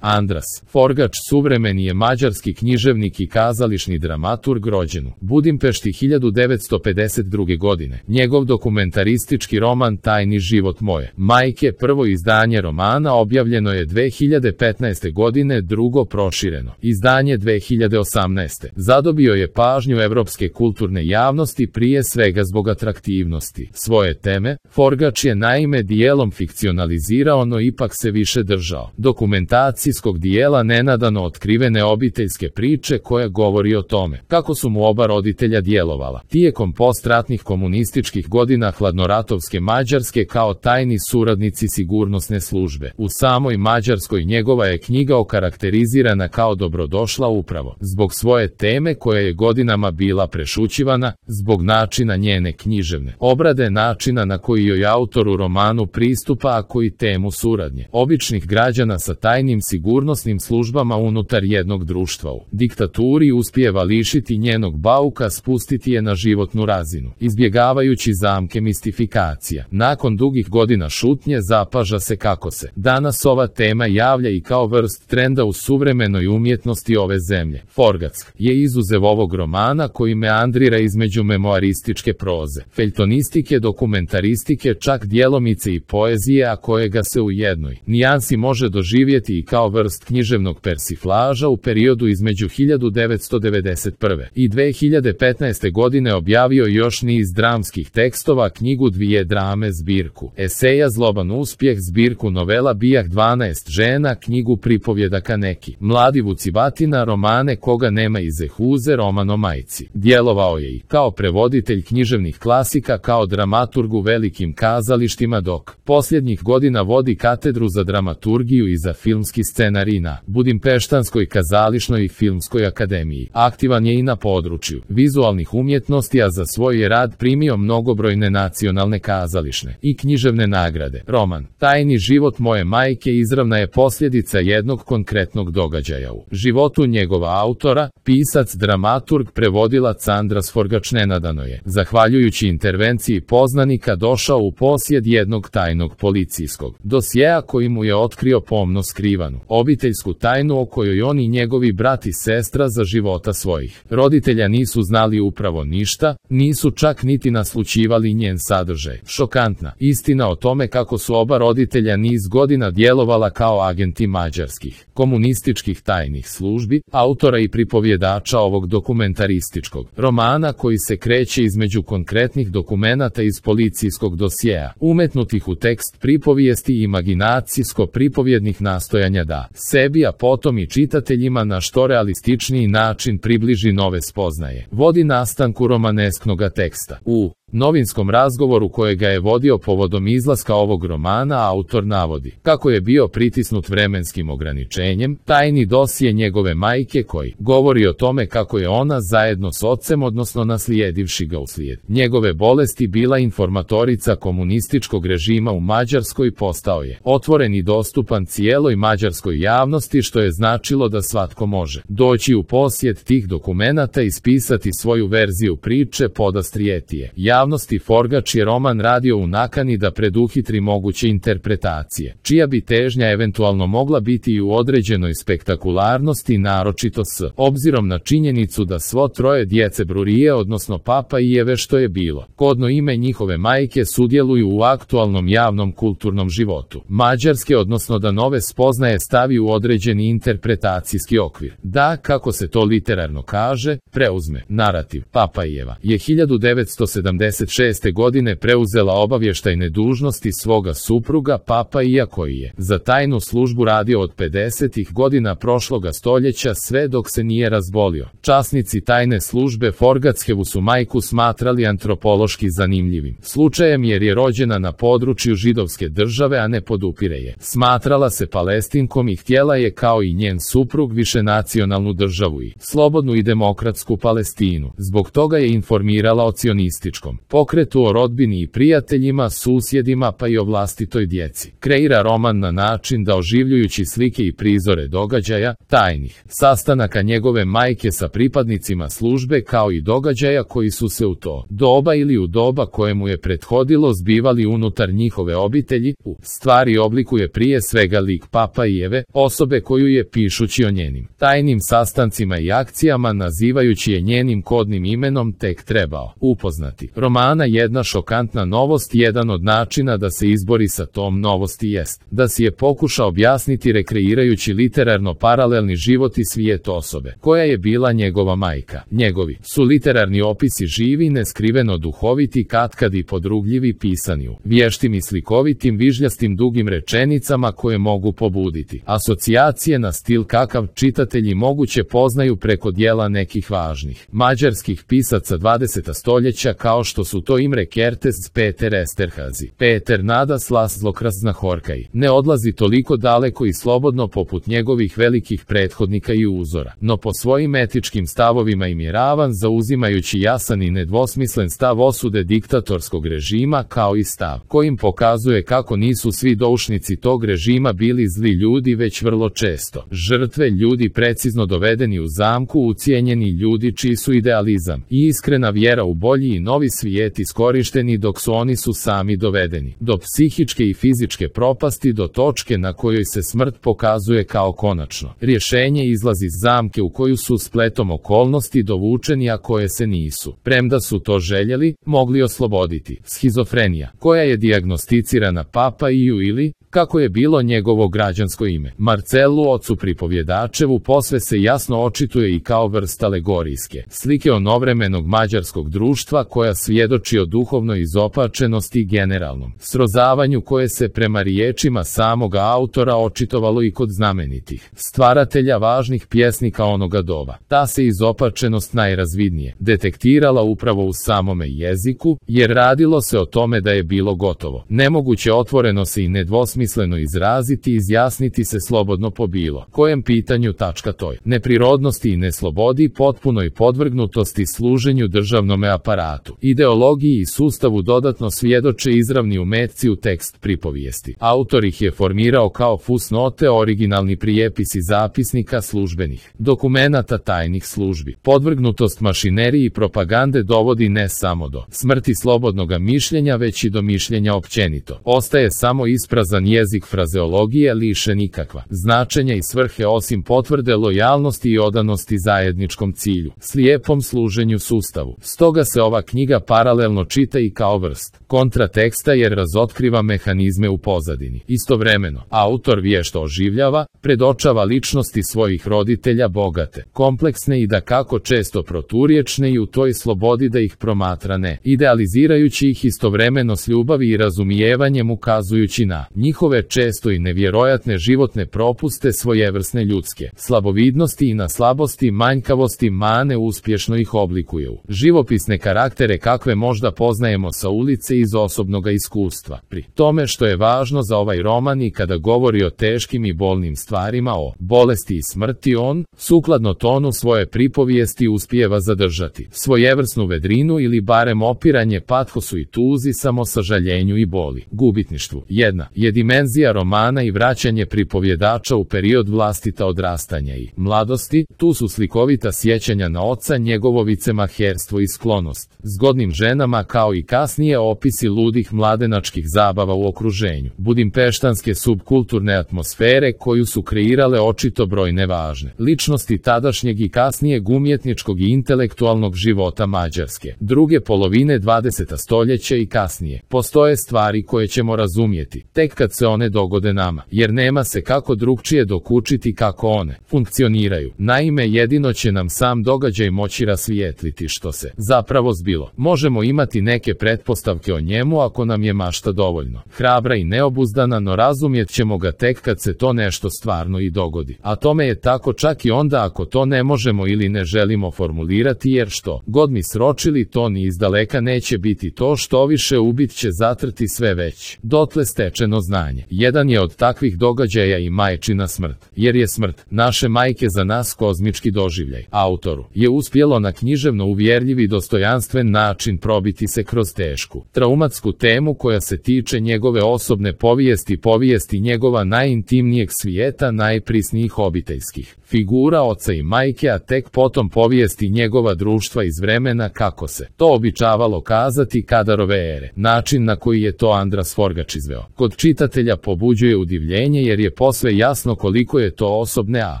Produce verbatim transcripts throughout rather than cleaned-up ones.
Andras Forgač suvremeni je mađarski književnik i kazališni dramaturg rođen u Budimpešti hiljadu devetsto pedeset druge. godine. Njegov dokumentaristički roman Tajni život moje majke, prvo izdanje romana, objavljeno je dve hiljade petnaeste. godine, drugo prošireno izdanje dve hiljade osamnaeste. Zadobio je pažnju evropske kulturne javnosti prije svega zbog atraktivnosti svoje teme. Forgač je naime dijelom fikcionalizirao, no ipak se više držao dokumentacijskog dijela nenadano otkrivene obiteljske priče koja govori o tome kako su mu oba roditelja djelovala tijekom postratnih komunističkih godina hladnoratovske Mađarske kao tajni suradnici sigurnosne službe. U samoj Mađarskoj njegova je knjiga okarakterizirana kao dobrodošla upravo zbog svoje teme koja je godinama bila prešućivana, zbog načina njene književne obrade, načina na koji joj autor u romanu pristupa, a koji temu suradnje običnih građana sa tajnim sigurnosnim službama unutar jednog društva u diktaturi uspijeva lišiti njenog bauka, spustiti je na životnu razinu, izbjegavajući zamke mistifikacija. Nakon dugih godina šutnje zapaža se kako se danas ova tema javlja i kao vrst trenda u suvremenoj umjetnosti ove zemlje. Forgač je izuzev ovog romana koji meandrira između memoarističke proze, feljtonistike, dokumentaristike, čak djelomice i poezije, a kojega se u jednoj nijansi može doživjeti i kao vrst književnog persiflaža. U periodu između hiljadu devetsto devedeset prve. i dve hiljade petnaeste. godine objavio još niz dramskih tekstova, knjigu Dvije drame, zbirku eseja Zloban uspjeh, zbirku novela Bijah dvanaest žena, knjigu pripovjedaka Neki mladi vucibatina, romane Koga nema i Zehuze, roman o majci. Djelovao je i kao prevoditelj književnih klasika, kao dramaturg u velikim kazalištima, dok posljednjih godina vodi katedru za dramaturgiju i za filmski scenarij na Budimpeštanskoj kazališnoj i filmskoj akademiji. Aktivan je i na području vizualnih umjetnosti, a za svoj je rad primio mnogobrojne nacionalne kazališne i književne nagrade. Roman Tajni život moje majke izravna je posljedica jednog konkretnog događaja u životu njegova autora. Pisac, dramaturg, prevodilac Andras Forgač nenadano je, zahvaljujući intervenciji poznanika, došao u posjed jednog tajnog policijskog dosjea koji mu je otkrio pomno skrivanu obiteljsku tajnu o kojoj on i njegovi brat i sestra za života svojih roditelja nisu znali upravo ništa, nisu čak niti naslućivali njen sadržaj. Šokantna istina o tome kako su oba roditelja niz godina djelovala kao agenti mađarskih komunističkih tajnih službi, autora i pripovjedača ovog dokumentarističkog romana koji se kreće između konkretnih dokumenata iz policijskog dosjea, umetnutih u tekst pripovijesti i imaginacijsko-pripovjednih nastojanja da sebi, a potom i čitateljima na što realističniji način približi nove spoznaje, vodi nastanku romanesknoga teksta. U novinskom razgovoru kojega je vodio povodom izlaska ovog romana, autor navodi kako je bio pritisnut vremenskim ograničenjem, tajni dosje njegove majke koji govori o tome kako je ona zajedno s ocem, odnosno naslijedivši ga uslijed njegove bolesti, bila informatorica komunističkog režima u Mađarskoj, postao je otvoren i dostupan cijeloj mađarskoj javnosti, što je značilo da svatko može doći u posjed tih dokumenata i ispisati svoju verziju priče, podastrijeti je javnosti. Forgač je roman radio u nakani da preduhitri moguće interpretacije, čija bi težnja eventualno mogla biti i u određenoj spektakularnosti, naročito s obzirom na činjenicu da svo troje djece Brurije, odnosno Papa i Eve, što je bilo kodno ime njihove majke, sudjeluju u aktualnom javnom kulturnom životu Mađarske, odnosno da nove spoznaje stavi u određeni interpretacijski okvir, da, kako se to literarno kaže, preuzme narativ. Papa i Eva je hiljadu devetsto sedamdeset šeste. godine preuzela obavještajne dužnosti svoga supruga Papa Ija, koji je za tajnu službu radio od pedesetih godina prošloga stoljeća sve dok se nije razbolio. Časnici tajne službe Forgačevu su majku smatrali antropološki zanimljivim slučajem jer je rođena na području židovske države, a ne podupire je. Smatrala se Palestinkom i htjela je kao i njen suprug višenacionalnu državu i slobodnu i demokratsku Palestinu. Zbog toga je informirala o cionističkom porodičnom pokretu, o rodbini i prijateljima, susjedima pa i o vlastitoj djeci. Kreira roman na način da oživljujući slike i prizore događaja, tajnih sastanaka njegove majke sa pripadnicima službe kao i događaja koji su se u to doba ili u doba kojemu je prethodilo zbivali unutar njihove obitelji, u stvari oblikuje prije svega lik Papa i Eve, osobe koju je pišući o njenim tajnim sastancima i akcijama nazivajući je njenim kodnim imenom tek trebao upoznati. Romana jedna šokantna novost, jedan od načina da se izbori sa tom novosti jest da si je pokuša objasniti rekreirajući literarno paralelni život i svijet osobe koja je bila njegova majka. Njegovi su literarni opisi živi, neskriveno duhoviti, katkad i podrugljivi, pisani u vještim i slikovitim, vižljastim dugim rečenicama koje mogu pobuditi asocijacije na stil kakav čitatelji moguće poznaju preko dijela nekih važnih mađarskih pisaca dvadesetog stoljeća kao što su to Imre Kertész, Peter Esterhazy, Peter Nadas, Laszlo Krasznahorkai. Ne odlazi toliko daleko i slobodno poput njegovih velikih prethodnika i uzora, no po svojim etičkim stavovima im je ravan, zauzimajući jasan i nedvosmislen stav osude diktatorskog režima kao i stav kojim pokazuje kako nisu svi doušnici tog režima bili zli ljudi, već vrlo često žrtve, ljudi precizno dovedeni u zamku, ucijenjeni ljudi čiji su idealizam i iskrena vjera u bolji i novi svijet iskorišteni dok su oni su sami dovedeni do psihičke i fizičke propasti, do točke na kojoj se smrt pokazuje kao konačno rješenje, izlaz iz zamke u koju su spletom okolnosti dovučeni, a koje se nisu, premda su to željeli, mogli osloboditi. Schizofrenija, koja je dijagnosticirana Papa Iju ili, kako je bilo njegovo građansko ime, Marcelu, ocu pripovjedačevu, posve se jasno očituje i kao vrsta alegorijske slike onovremenog mađarskog društva koja svjedoči o duhovnoj izopačenosti i generalnom srozavanju koje se prema riječima samoga autora očitovalo i kod znamenitih stvaratelja važnih pjesnika onoga doba. Ta se izopačenost najrazvidnije detektirala upravo u samome jeziku, jer radilo se o tome da je bilo gotovo nemoguće otvoreno se i nedvosmisleno izraziti, izjasniti se slobodno po bilo kojem pitanju, tačka toj neprirodnosti i neslobodi, potpunoj podvrgnutosti služenju državnome aparatu, ideologiji i sustavu dodatno svjedoče izravni umetci u tekst pripovijesti. Autor ih je formirao kao fusnote, originalni prijepisi zapisnika službenih dokumenata tajnih službi. Podvrgnutost mašineriji i propagande dovodi ne samo do smrti slobodnoga mišljenja, već i do mišljenja općenito. Ostaje samo isprazan jezik frazeologije, lišen ikakva značenja i svrhe osim potvrde lojalnosti i odanosti zajedničkom cilju, slijepom služenju sustavu. Stoga se ova knjiga paralelno čita i kao vrst kontrateksta, jer razotkriva mehanizme u pozadini. Istovremeno, autor vješto oživljava, predočava ličnosti svojih roditelja, bogate, kompleksne i dakako često proturječne, i u toj slobodi da ih promatra ne idealizirajući ih, istovremeno s ljubavi i razumijevanjem ukazujući na njihove često i nevjerojatne životne propuste, svojevrsne ljudske slabovidnosti i na slabosti, manjkavosti, mane, uspješno ih oblikuju živopisne karaktere kakve možda poznajemo sa ulice iz osobnoga iskustva. Pri tome što je važno za ovaj roman i kada govori o teškim i bolnim stvarima, o bolesti i smrti, on, sukladno tonu svoje pripovijesti, uspijeva zadržati svojevrsnu vedrinu ili barem opiranje pathosu i tuzi, samosažaljenju i boli, gubitništvu. Jedna je dimenzija romana i vraćanje pripovjedača u period vlastita odrastanja i mladosti. Tu su slikovita sjećanja na oca, njegovo vicemaherstvo i sklonost zgodnim ženama, kao i kasnije opisi ludih mladenačkih zabava u okruženju budimpeštanske subkulturne atmosfere koju su kreirale očito brojne važne ličnosti tadašnjeg i kasnijeg umjetničkog i intelektualnog života Mađarske druge polovine dvadesetog stoljeća i kasnije. Postoje stvari koje ćemo razumjeti tek kad se one dogode nama, jer nema se kako drugčije dokučiti kako one funkcioniraju. Naime, jedino će nam sam događaj moći rasvijetliti što se zapravo zbilo. Možemo imati neke pretpostavke o njemu ako nam je mašta dovoljno hrabra i neobuzdana, no razumjet ćemo ga tek kad se to nešto stvarno i dogodi. A tome je tako čak i onda ako to ne možemo ili ne želimo formulirati, jer što god mi sročili, to ni izdaleka neće biti to, što više ubit će zatrti sve već dotle stečeno znanje. Jedan je od takvih događaja i majčina smrt, jer je smrt naše majke za nas kozmički doživljaj. Autoru je uspjelo na književno uvjerljiv i dostojanstven način način probiti se kroz tešku, traumatsku temu koja se tiče njegove osobne povijesti, povijesti njegova najintimnijeg svijeta, najprisnijih obiteljskih figura oca i majke, a tek potom povijesti njegova društva iz vremena kako se to običavalo kazati Kadarove ere. Način na koji je to Andras Forgač izveo kod čitatelja pobuđuje udivljenje jer je posve jasno koliko je to osobne, a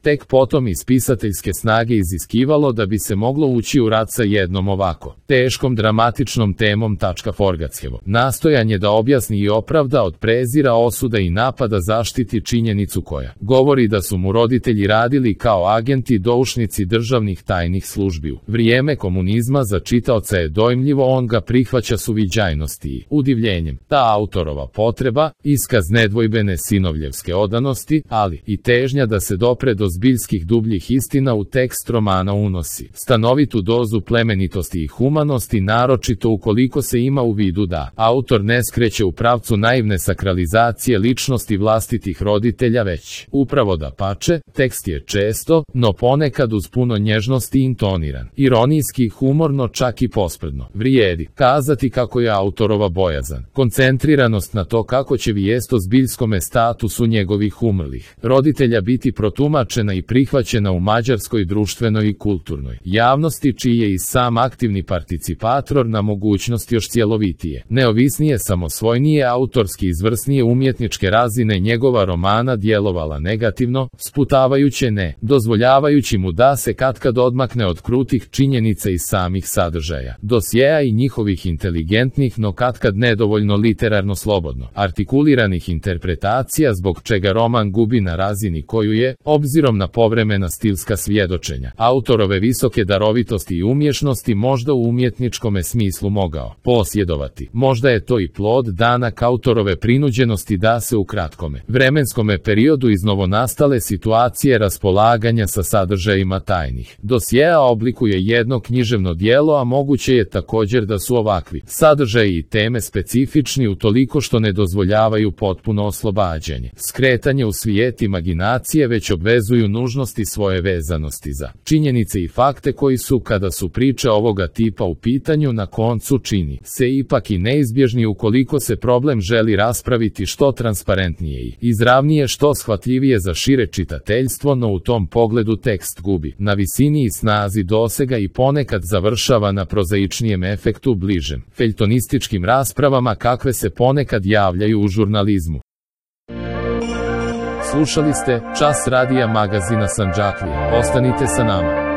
tek potom iz pisateljske snage iziskivalo da bi se moglo ući u rad sa jednom ovako teškom dramatičnom temom. Forgačevo nastojanje da objasni i opravda od prezira, osuda i napada zaštiti činjenicu koja govori da su mu roditelji radili kao agenti, doušnici državnih tajnih službi u vrijeme komunizma, za čitaoca je dojmljivo, on ga prihvaća s uviđajnosti i udivljenjem. Ta autorova potreba, iskaz nedvojbene sinovljevske odanosti, ali i težnja da se dopre do zbiljskih dubljih istina u tekst romana unosi stanovitu dozu plemenitosti i humanosti, naročito ukoliko se ima u vidu da autor ne skreće u pravcu naivne sakralizacije ličnosti vlastitih roditelja, već upravo da pače, tekst je često, no ponekad uz puno njeznosti intoniran, ironijski, humorno, čak i posprdno. Vrijedi kazati kako je autorova bojazan koncentriranost na to kako će vijest o zbiljskome statusu njegovih umrlih roditelja biti protumačena i prihvaćena u mađarskoj društvenoj i kulturnoj javnosti, čiji je i sam aktivni participator na mogućnosti još cjelovitije, neovisnije, samosvojnije, autorski izvrsnije umjetničke razine njegova romana djelovala negativno, sputavajuće, ne dozvoljavajući mu da se katkad odmakne od krutih činjenica i samih sadržaja dosjeja i njihovih inteligentnih, no katkad nedovoljno literarno slobodno artikuliranih interpretacija, zbog čega roman gubi na razini koju je, obzirom na povremena stilska svjedočenja autorove visoke darovitosti i umješnosti, možda u umjetničkome smislu mogao posjedovati. Možda je to i plod danak autorove prinuđenosti da se u kratkome vremenskome periodu iz novonastale situacije raspolaganja sa sadržajima tajnih dosjeja oblikuje jedno književno djelo, a moguće je također da su ovakvi sadržaji i teme specifični utoliko što ne dozvoljavaju potpuno oslobađanje, skretanje u svijet imaginacije, već obvezuju nužnosti svoje vezanosti za činjenice i fakte koji su, kada su priče ovoga tipa u pitanju, na koncu čini se ipak i neizbježni ukoliko se problem želi raspraviti što transparentnije i izravnije, što shvatljivije za šire čitateljstvo, no u tom pogledu tekst gubi na visini i snazi dosega i ponekad završava na prozaičnijem efektu, bližem feljtonističkim raspravama kakve se ponekad javljaju u žurnalizmu. Slušali ste Čas radija magazina Sandžaklija. Ostanite sa nama.